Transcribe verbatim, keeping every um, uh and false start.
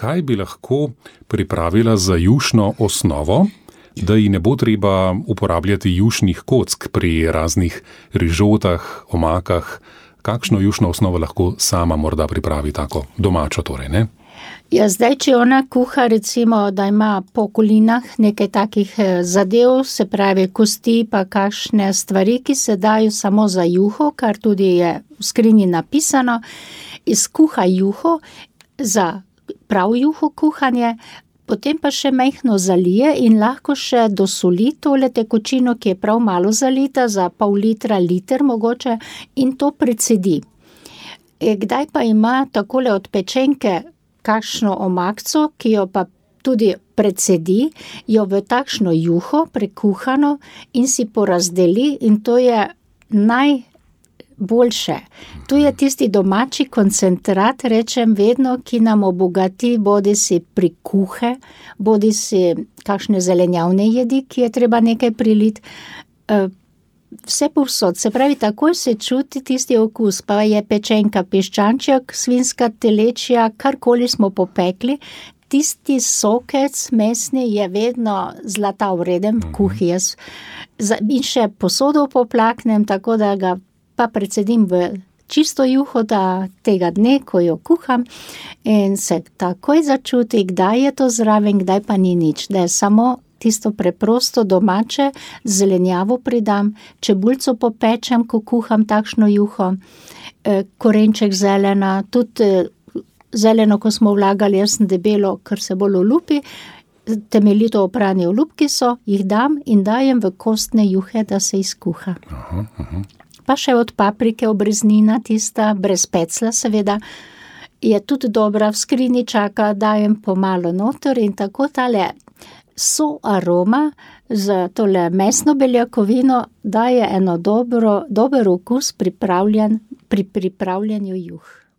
kaj bi lahko pripravila za jušno osnovo, da ji ne bo treba uporabljati jušnih kock pri raznih rižotah, omakah. Kakšno jušno osnovo lahko sama morda pripravi tako domačo torej, ne? Ja, zdaj, če ona kuha, recimo, da ima po kolinah nekaj takih zadev, se pravi kosti pa kakšne stvari, ki se dajo samo za juho, kar tudi je v skrinji napisano, izkuha juho za prav juho kuhanje, potem pa še majhno zalije in lahko še dosoli tole tekočino, ki je prav malo zalita, za pol litra, liter mogoče, in to precedi. Kdaj pa ima takole od pečenke kakšno omakco, ki jo pa tudi precedi, jo v takšno juho prekuhano in si porazdeli, in to je najboljše. To je tisti domači koncentrat, rečem vedno, ki nam obogati bodi si prikuhe, bodi si kakšne zelenjavne jedi, ki je treba nekaj priliti. Vse povsod, se pravi, takoj se čuti tisti okus, pa je pečenka, piščanček, svinska telečja, karkoli smo popekli, tisti sokec mesni je vedno zlata vreden v kuhi. Jaz in še posodo poplaknem, tako da ga pa predsedim v čisto juho da tega dne, ko jo kuham, in se takoj začuti, kdaj je to zraven, kdaj pa ni nič, da je samo tisto preprosto domače, zelenjavo pridam, čebulco popečem, ko kuham takšno juho, korenček zelena, tudi zeleno, ko smo vlagali, jaz sem debelo, ker se bolj olupi, temeljito oprani olupki so, jih dam in dajem v kostne juhe, da se izkuha. Aha, aha. Pa še od paprike obreznina, tista, brez pecla seveda, je tudi dobra, v skrini čaka, dajem pomalo noter in tako tale so aroma z tole mesno beljakovino daje eno dobro, dober okus pripravljen, pri pripravljanju juh.